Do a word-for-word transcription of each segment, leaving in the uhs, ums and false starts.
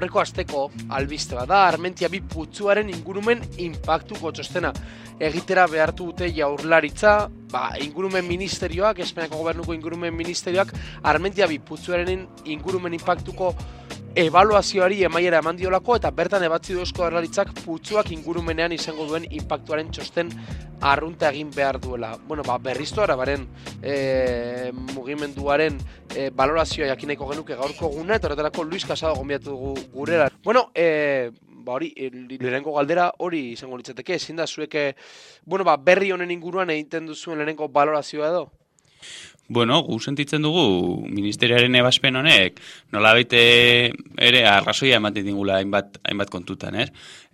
aurreko asteko albiste bada, Armentia bi putzuaren ingurumen inpaktuko txostena egitera behartu dute Jaurlaritza, ba, ingurumen ministerioak, Espainiako gobernuko ingurumen ministerioak, Armentia bi putzuaren ingurumen inpaktuko ebaluazioari emaiera eman diolako, eta bertan ebatzi du Eusko Jaurlaritzak putzuak ingurumenean izango duen inpaktuaren txosten arrunta egin behar duela. Bueno, ba, berriztu arabaren e, mugimenduaren e, balorazioa jakineko genuke gaurko guna, eta horretarako Luis Casado gonbiatu dugu gurera. Bueno, e, ba hori, lehenengo galdera hori izango litzateke, ezin da zueke, bueno, ba, berri honen inguruan egiten duzuen lehenengo balorazioa edo? Bueno, gu sentitzen dugu ministeriaren ebaspen honek nolabait ere arrazoia ematen dingula hainbat, hainbat kontutan, ez?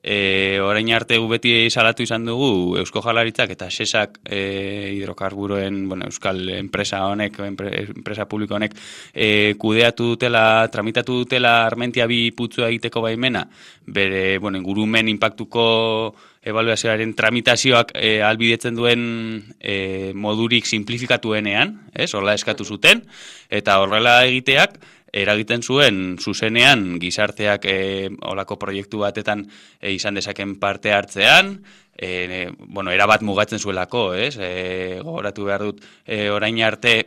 E, orain arte gu beti salatu izan dugu Eusko Jaurlaritzak eta sesak e, hidrokarburoen, bueno, euskal enpresa honek, enpresa publiko honek e, kudeatu dutela, tramitatu dutela Armentia bi putzua egiteko baimena, bere, bueno, ingurumen inpaktuko ebaluazioaren tramitazioak e, albidetzen duen e, modurik simplifikatuenean, ez? Horrela eskatu zuten, eta horrela egiteak eragiten zuen zuzenean gizarteak e, olako proiektu batetan e, izan dezaken parte hartzean, e, bueno, erabat mugatzen zuelako, ez? E, gogoratu behar dut, e, orain arte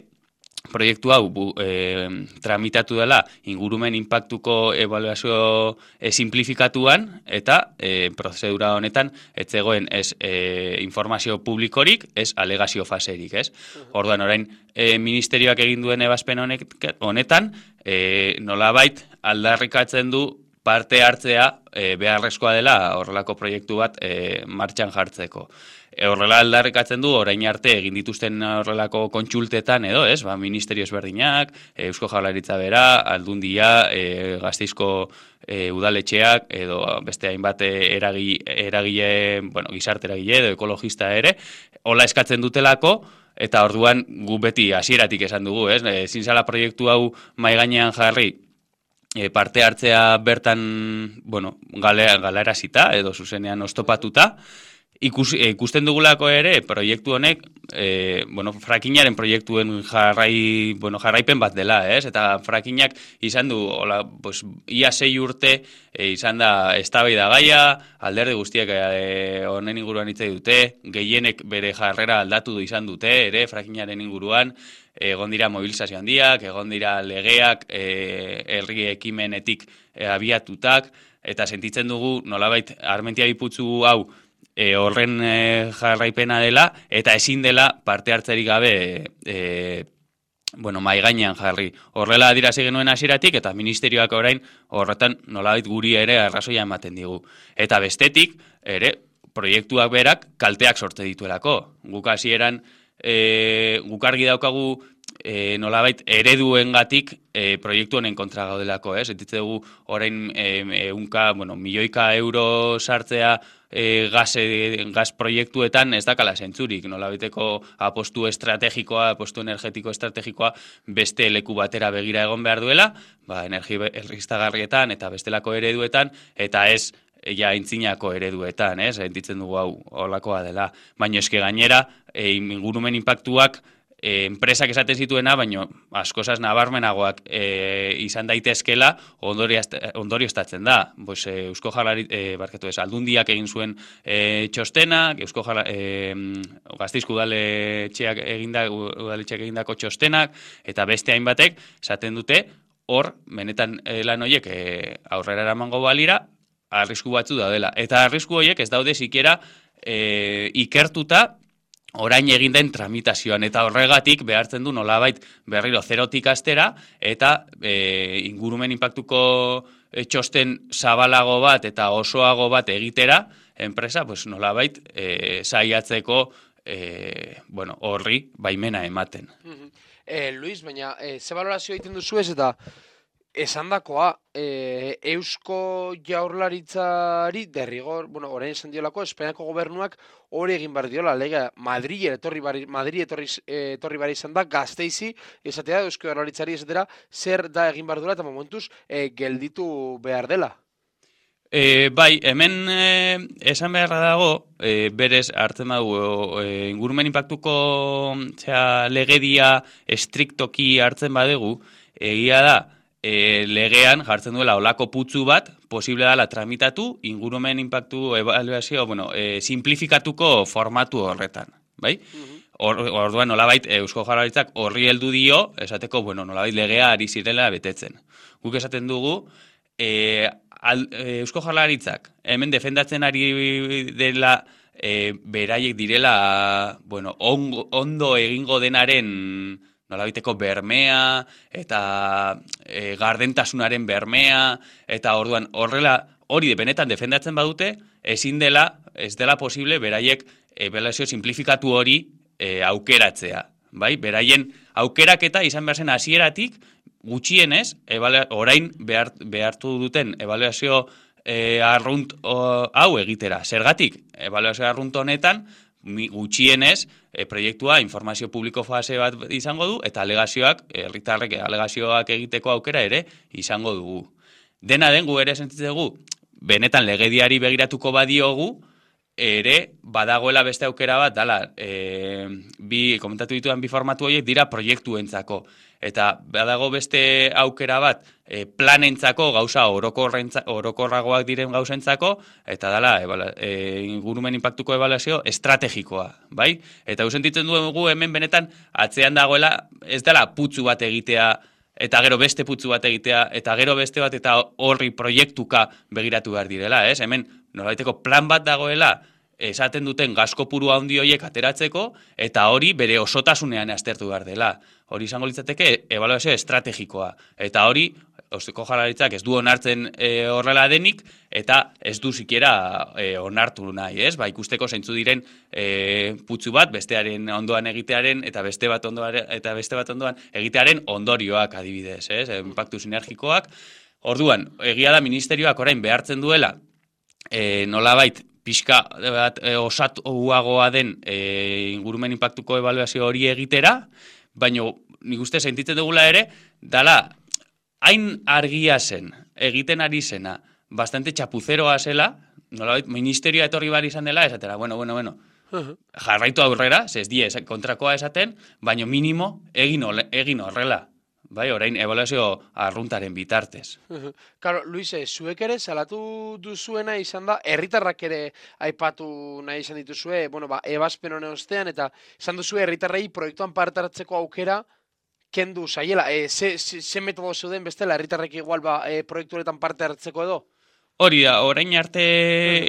proiektu hau bu, e, tramitatu dela ingurumen inpaktuko ebaluazio e, simplifikatuan, eta e, prozedura honetan ez zegoen ez e, informazio publikorik, ez alegazio faserik, ez? Orduan, orain e, ministerioak egin duen ebazpen honek, honetan, e, nolabait aldarrikatzen du parte hartzea e, beharrezkoa dela horrelako proiektu bat e, martxan jartzeko. E, horrela aldarrikatzen du orain arte egin dituzten horrelako kontsultetan edo, ez? Ba, ministerio ezberdinak, Eusko Jaurlaritza bera, Aldundia, e, Gasteizko e, udaletxeak edo beste hainbat eragile, eragile, bueno, gizarte eragile edo ekologista ere, hola eskatzen dutelako. Eta orduan gu beti hasieratik esan dugu, ez? Ezin zela proiektu hau mahai gainean jarri e, parte hartzea bertan, bueno, galarazita edo zuzenean oztopatuta. Ikus, ikusten dugulako ere proiektu honek, e, bueno, frackingaren proiektuen jarrai, bueno, jarraipen bat dela, ez? Eta frackinyak izan du, hola, pues, ia sei urte e, izan da eztabaida gaia, alderdi guztiak e, honen inguruan hitz dute, gehienek bere jarrera aldatu du izan dute, ere, frackingaren inguruan, egon dira mobilizazio handiak, egon dira legeak, e, herri ekimenetik e, abiatutak, eta sentitzen dugu nolabait Armentia bi putzu hau E, horren e, jarraipena dela, eta ezin dela parte hartzerik gabe e, bueno, mahai gainean jarri. Horrela adierazi genuen hasieratik, eta ministerioak orain horretan nolabait guri ere arrazoia ematen digu. Eta bestetik, ere, proiektuak berak kalteak sortze dituelako. Guk hasieran, e, guk argi daukagu E, nolabait ereduengatik e, proiektu honen kontra gaudelako, ez? Sentitze dugu orain e, eunka, bueno, milioika euro sartzea e, gaz, e, gaz proiektuetan ez dakala zentzurik, nolabaiteko apostu estrategikoa, apostu energetiko estrategikoa beste leku batera begira egon behar duela, ba, energi berriztagarrietan eta bestelako ereduetan, eta ez ja intzinako ereduetan, ez? Sentitzen dugu hau holakoa dela. Baina eske gainera, e, ingurumen inpaktuak E, enpresak esaten zituena, baino askozaz nabarmenagoak e, izan daitezkela ondorioztatzen da. Pues, e, Eusko Jaurlaritza, e, barkatu ez, Aldundiak egin zuen e, txostenak, Eusko Jaurlaritza, e, Gasteizko udaletxeak eginda, udaletxeak egindako txostenak, eta beste hainbatek esaten dute, hor, benetan e, lan horiek e, aurrera eramango balira, arrisku batzu daudela. Eta arrisku horiek ez daude sikiera e, ikertuta, orain egin den tramitazioan, eta horregatik behartzen du nolabait berriro zerotik astera, eta e, ingurumen inpaktuko e, txosten zabalago bat eta osoago bat egitera, enpresa, pues, nolabait e, saiatzeko e, bueno, horri baimena ematen. Mm-hmm. eh, Luis, baina eh, ze balorazio egiten duzu ez, eta esandakoa, e, Eusko Jaurlaritzari derrigor, bueno, orain esan diolako, Espainiako gobernuak hori egin behar diola, lega, Madrid etorri bari, Madrid etorri, etorri bari izan da, Gasteizi, esatea, Eusko Jaurlaritzari esatera, zer da egin behar duela, eta momentuz, e, gelditu behar dela. E, bai, hemen e, esan beharra dago, e, berez hartzen badugu, e, ingurumen inpaktuko zera, legedia estriktoki hartzen badegu, egia da, e, legean jartzen duela olako putzu bat, posible dela tramitatu, ingurumen impactu evaluazio, bueno, e, simplifikatuko formatu horretan, bai? Or, orduan nolabait Eusko Jaurlaritzak horri heldu dio, esateko, bueno, nolabait legea ari zirela betetzen. Guk esaten dugu, e, al, e, Eusko Jaurlaritzak hemen defendatzen ari dela e, beraiek direla, bueno, on, ondo egingo denaren nolabaiteko bermea, eta e, gardentasunaren bermea, eta orduan horrela hori benetan defendatzen badute, ezin dela, ez dela posible beraiek ebaluazio simplifikatu hori e, aukeratzea. Bai? Beraien aukeraketa izan behar zen hasieratik gutxienez, orain behar, behartu duten ebaluazio e, arrunt o, hau egitera. Zergatik, ebaluazio arrunt honetan, gutxienez, e, proiektua informazio publiko fase bat izango du, eta alegazioak, herritarrek alegazioak egiteko aukera ere izango dugu. Dena den, gu ere sentitzegu, benetan legediari begiratuko badiogu, ere badagoela beste aukera bat, dala, e, bi, komentatu ditudan bi formatu horiek dira proiektuentzako. Eta badago beste aukera bat e, planentzako, gauza orokorragoak diren gauzentzako, eta dala, e, ingurumen impactuko ebaluazio estrategikoa, bai? Eta hau sentitzen dugu hemen benetan atzean dagoela, ez dela putzu bat egitea, eta gero beste putzu bat egitea, eta gero beste bat eta horri proiektuka begiratu behar direla, ez? Hemen nolabaiteko plan bat dagoela, esaten duten gaskopuru handi horiek ateratzeko, eta hori bere osotasunean aztertu behar dela. Hori izango litzateke ebaluazio estrategikoa. Eta hori, Eusko Jaurlaritzak ez du onartzen e, horrela denik, eta ez du sikiera e, onartu nahi, ez? Ba, ikusteko zeintzu diren e, putzu bat, bestearen ondoan egitearen, eta beste bat ondoan, eta beste bat ondoan egitearen ondorioak adibidez, ez? Impactu sinergikoak. Orduan, egia da ministerioak orain behartzen duela, e, nolabait, pixka bat e, osatuagoa den e, ingurumen impactuko ebaluazio hori egitera, baina nik uste sentitzen dugula ere, dala, hain argia zen, egiten ari zena, bastante txapuzeroa zela, nolabait, ministerioa etorri bar izan dela, esatera, bueno, bueno, bueno, jarraitu aurrera, ez die kontrakoa esaten, baina minimo egin, egin horrela. Bai, orain ebaluazio arruntaren bitartez. Claro, Luis, zuek ere salatu duzuena izan da, herritarrak ere aipatu nahi izan dituzue, bueno, ba, ebazpen honen ostean, eta izan duzue herritarrei proiektuan parte hartzeko aukera kendu zaiela. E, ze, ze, ze metodo zeuden bestela, herritarrek igual ba, e, proiektu honetan parte hartzeko edo? Hori da, orain arte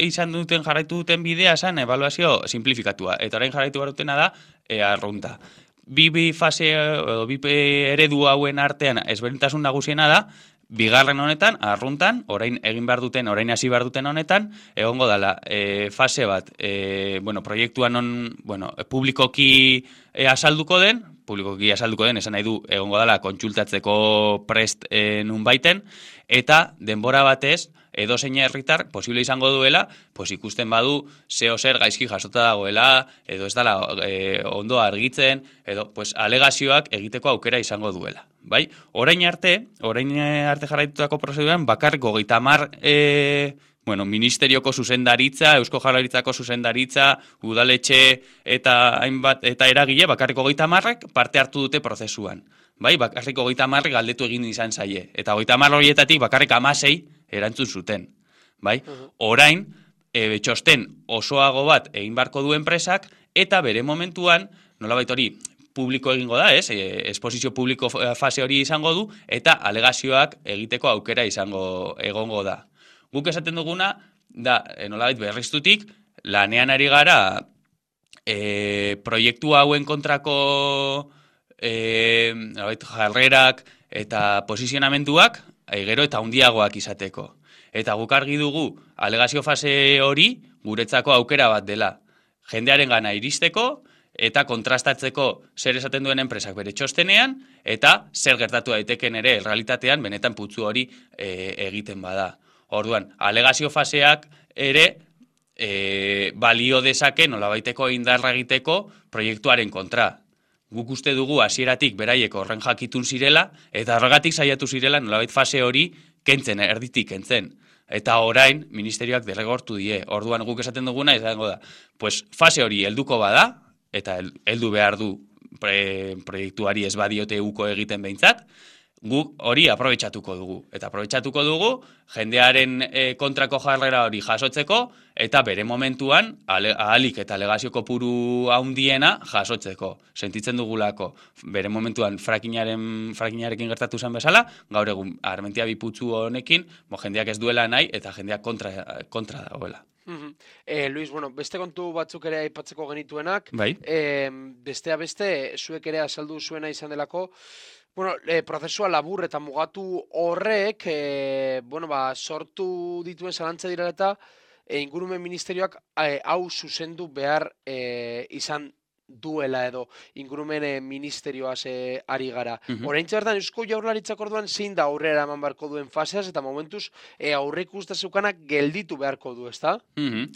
izan duten jarraitu duten bidea zen ebaluazio simplifikatua, eta orain jarraitu behar dutena da e, arrunta. Bi, bi fase, edo bi eredu hauen artean ezberdintasun nagusiena da, bigarren honetan, arruntan, orain egin behar duten, orain hasi behar duten honetan, egongo dela e, fase bat, e, bueno, proiektuan on, bueno, publikoki e, azalduko den, publikoki azalduko den, esan nahi du, egongo dela kontsultatzeko prest e, nun baiten, eta denbora batez, edo zein herritar posible izango duela, pues ikusten badu zeo zer gaizki jasota dagoela, edo ez dela e, ondo argitzen, edo pues, alegazioak egiteko aukera izango duela. Bai? Orain arte, orain arte jarraitutako prozeduran, bakarriko hogeita hamar e, bueno, ministerioko zuzendaritza, Eusko Jaurlaritzako zuzendaritza, udaletxe eta hainbat eta eragile, bakarriko hogeita hamarrek parte hartu dute prozesuan. Bai, bakarriko hogeita hamarrek galdetu egin izan zaie. Eta hogeita hamar horietatik bakarrik hamasei erantzun zuten. Bai? Orain, e, txosten osoago bat egin barko du enpresak, eta bere momentuan, nolabait hori, publiko egingo da, ez? E, esposizio publiko fase hori izango du, eta alegazioak egiteko aukera izango egongo da. Guk esaten duguna, da, nolabait berriztutik, lanean ari gara e, proiektu hauen kontrako e, nolabait, jarrerak eta posizionamenduak, gero eta handiagoak izateko. Eta guk argi dugu, alegazio fase hori guretzako aukera bat dela. Jendearen gana iristeko, eta kontrastatzeko zer esaten duen enpresak bere txostenean, eta zer gertatu daiteken ere realitatean benetan putzu hori e, egiten bada. Orduan, alegazio faseak ere e, balio dezake nolabaiteko indarra egiteko proiektuaren kontra. Guk uste dugu hasieratik beraiek horren jakitun zirela, eta horregatik saiatu zirela nolabait fase hori kentzen, erditik kentzen. Eta orain, ministerioak derregortu die. Orduan guk esaten duguna, izango da, pues fase hori helduko bada, eta heldu behar du pre, proiektuari ez badiote uko egiten behintzat, guk hori aprobetxatuko dugu. Eta aprobetxatuko dugu jendearen e, kontrako jarrera hori jasotzeko eta bere momentuan ale, ahalik eta alegazio kopuru handiena jasotzeko. Sentitzen dugulako bere momentuan frakinaren, frakinarekin gertatu zen bezala, gaur egun Armentia Biputzu honekin bo, jendeak ez duela nahi eta jendeak kontra, kontra dagoela. Mm-hmm. eh, Luis, bueno, beste kontu batzuk ere aipatzeko genituenak, bai? eh, bestea beste, zuek ere azaldu zuena izan delako, bueno, e, prozesua labur eta mugatu horrek, e, bueno, ba, sortu dituen zalantza dira eta e, ingurumen ministerioak e, hau zuzendu behar e, izan duela edo ingurumen e, ministerioaz e, ari gara. Uh-huh. Oraintxe bertan Eusko Jaurlaritzak orduan zein da aurrera eman beharko duen faseaz eta momentuz e, aurreik uste zeukanak gelditu beharko du, ezta? Uh-huh.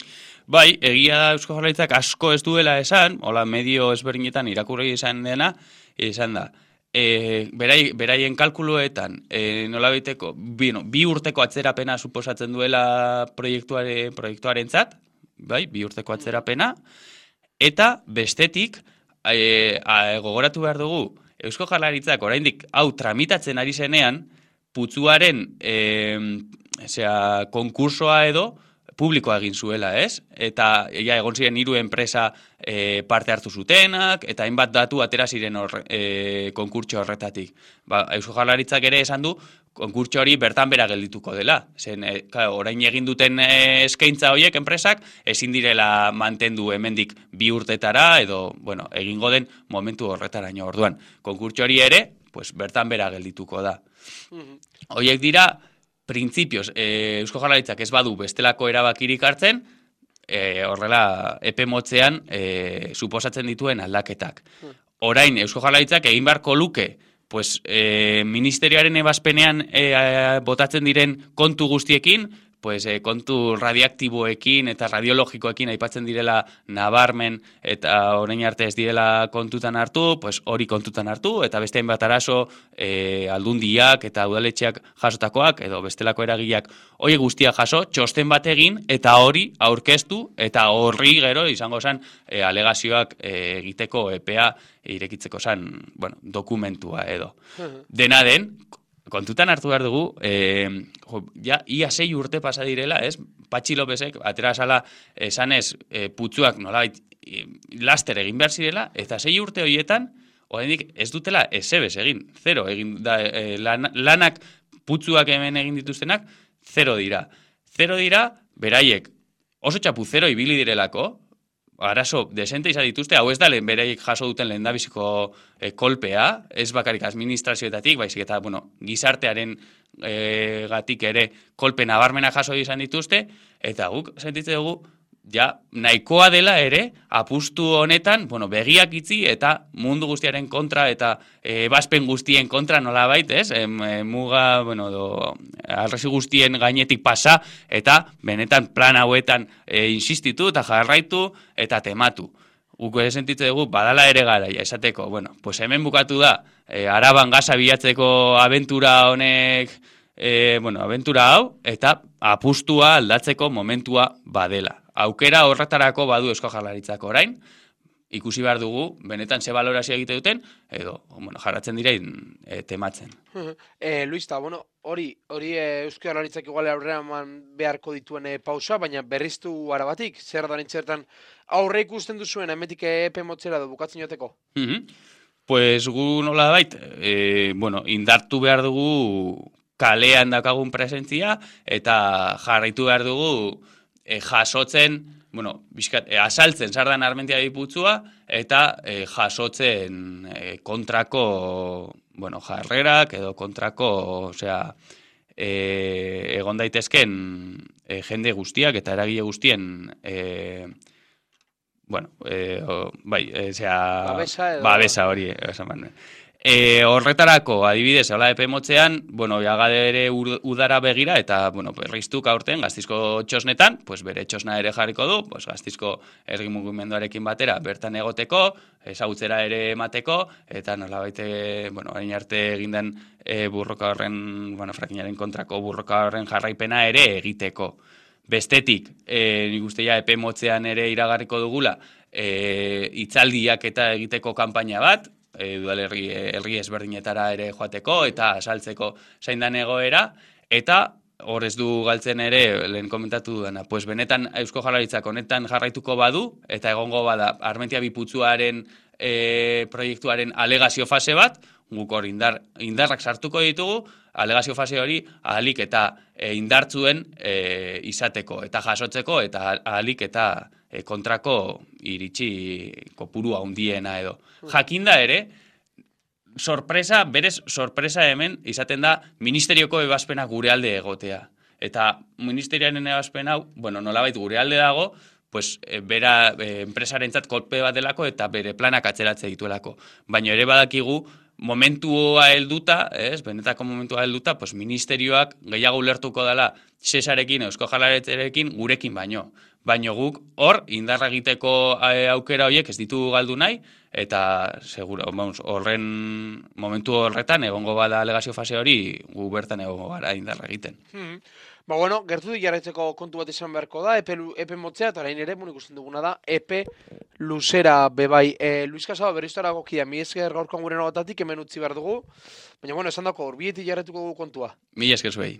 Bai, egia da Eusko Jaurlaritzak asko ez duela esan, hola medio ezberdinetan irakurri izan dena, izan da. E, berai, beraien kalkuluetan e, nola biteko, bi, no, bi urteko atzerapena suposatzen duela proiektuare, proiektuarentzat, bai, bi urteko atzerapena, eta bestetik e, a, gogoratu behar dugu Eusko Jaurlaritzak oraindik hau tramitatzen ari zenean, putzuaren e, zera, konkursoa edo publikoa egin zuela, ez? Eta ja, egon ziren hiru enpresa e, parte hartu zutenak, eta hainbat datu atera ziren hor, e, konkurtso horretatik. Ba, Eusko Jaurlaritzak ere esan du, konkurtso hori bertan bera geldituko dela. Zen, e, claro, orain egin duten e, eskaintza horiek enpresak, ezin direla mantendu hemendik bi urtetara, edo, bueno, egingo den momentu horretaraino orduan. Konkurtso hori ere, pues, bertan bera geldituko da. Horiek dira, printzipioz, e, Eusko Jaurlaritzak ez badu bestelako erabakirik hartzen, e, horrela epe motzean e, suposatzen dituen aldaketak. Orain Eusko Jaurlaritzak egin beharko luke, pues, e, ministerioaren ebazpenean e, botatzen diren kontu guztiekin, pues, e, kontu radioaktiboekin eta radiologikoekin aipatzen direla nabarmen eta orain arte ez direla kontutan hartu, pues, hori kontutan hartu, eta beste hainbat arazo e, aldundiak eta udaletxeak jasotakoak, edo bestelako eragileak hori guztia jaso, txosten bat egin, eta hori aurkeztu, eta horri gero izango zen e, alegazioak e, egiteko epea irekitzeko zen, bueno, dokumentua edo. Dena den, kontutan hartu behar dugu, eh, jo, ja, ia sei urte pasa direla, ez? Patxi Lopezek, atera sala, esanez, eh, putzuak nolabait eh, laster egin behar zirela, eta sei urte horietan, oraindik ez dutela esebez egin, zero egin da, eh, lan, lanak putzuak hemen egin dituztenak, zero dira. Zero dira, beraiek oso txapu zero ibili direlako, arazo desente izan dituzte, hau ez da lehen beraiek jaso duten lehendabiziko e, kolpea, ez bakarik administrazioetatik, baizik eta, bueno, gizartearen e, gatik ere kolpe nabarmena jaso izan dituzte, eta guk sentitzen dugu, ja, nahikoa dela ere, apustu honetan, bueno, begiak itzi eta mundu guztiaren kontra eta ebazpen guztien kontra nolabait, ez? E, muga, bueno, do, arresi guztien gainetik pasa eta benetan plan hauetan e, insistitu eta jarraitu eta tematu. Guk ere sentitzen dugu, badala ere garaia, esateko, bueno, pues hemen bukatu da, e, Araban gaza bilatzeko abentura honek, e, bueno, abentura hau, eta apustua aldatzeko momentua badela. Aukera horretarako badu Eusko Jaurlaritzak orain, ikusi behar dugu, benetan ze balorazio egite duten, edo, bueno, jarratzen direin e, tematzen. E, Luis, ta, bueno, hori, hori e, Eusko Jaurlaritzak igual aurrera eman beharko dituen e, pausa, baina berriztu arabatik, zer da nintzertan aurre ikusten duzuen, emetik epe motzera du bukatzen joteko? Mm-hmm. Pues gu nola bait, e, bueno, indartu behar dugu kalean dakagun presentzia, eta jarraitu behar dugu E, jasotzen, bueno, bizkat, e, asaltzen sardan Armentia Biputzua, eta e, jasotzen e, kontrako, bueno, jarrerak, edo kontrako, osea, e, egon daitezken e, jende guztiak, eta eragile guztien, e, bueno, e, o, bai, osea, babesa, edo... babesa hori, esan behar. E, horretarako, adibidez, hola epe motzean, bueno, jagade ere udara begira, eta, bueno, berriztuk aurten Gaztizko txosnetan, pues bere txosna ere jarriko du, pues Gaztizko ergi mugimenduarekin batera bertan egoteko, ezagutzera ere emateko, eta nolabait, bueno, orain arte egindan e, burroka horren, bueno, frakinaren kontrako burroka horren jarraipena ere egiteko. Bestetik, e, nik uste ja epe motzean ere iragarriko dugula, e, hitzaldiak eta egiteko kanpaina bat, e, udalerri herri ezberdinetara ere joateko eta saltzeko zain dan egoera, eta hor ez du galtzen ere, lehen komentatu dudana, pues benetan Eusko Jaurlaritzak honetan jarraituko badu, eta egongo bada Armentiaminus putzuaren e, proiektuaren alegazio fase bat, guk hor indar, indarrak sartuko ditugu, alegazio fase hori ahalik eta e, indartzuen e, izateko, eta jasotzeko, eta ahalik eta e, kontrako iritsi kopuru handiena edo. Jakinda ere, sorpresa, berez sorpresa hemen izaten da ministerioko ebazpena gure alde egotea. Eta ministerioaren ebazpen hau, bueno, nolabait gure alde dago, pues, e, bera e, enpresarentzat kolpe bat delako eta bere planak atzeratze dituelako. Baina ere badakigu, momentua helduta, ez, benetako momentua helduta, pues, ministerioak gehiago ulertuko dela Cesarekin, Eusko Jaurlaritzarekin, gurekin baino. Baino guk hor, indarra egiteko aukera horiek ez ditu galdu nahi, eta seguro, vamos, horren momentu horretan egongo bada alegazio fase hori, gu bertan egongo gara indarra egiten. Hmm. Ba, bueno, gertutik jarraitzeko kontu bat izan beharko da, epe, epe motzea, eta orain ere, mun ikusten duguna da, epe luzera bebai. E, Luis Casado, berriztara gokia, mi esker gaurkoan gure nogatatik, hemen utzi behar dugu, baina, bueno, esan dako, horbietik jarraituko dugu kontua. Mila esker zuei.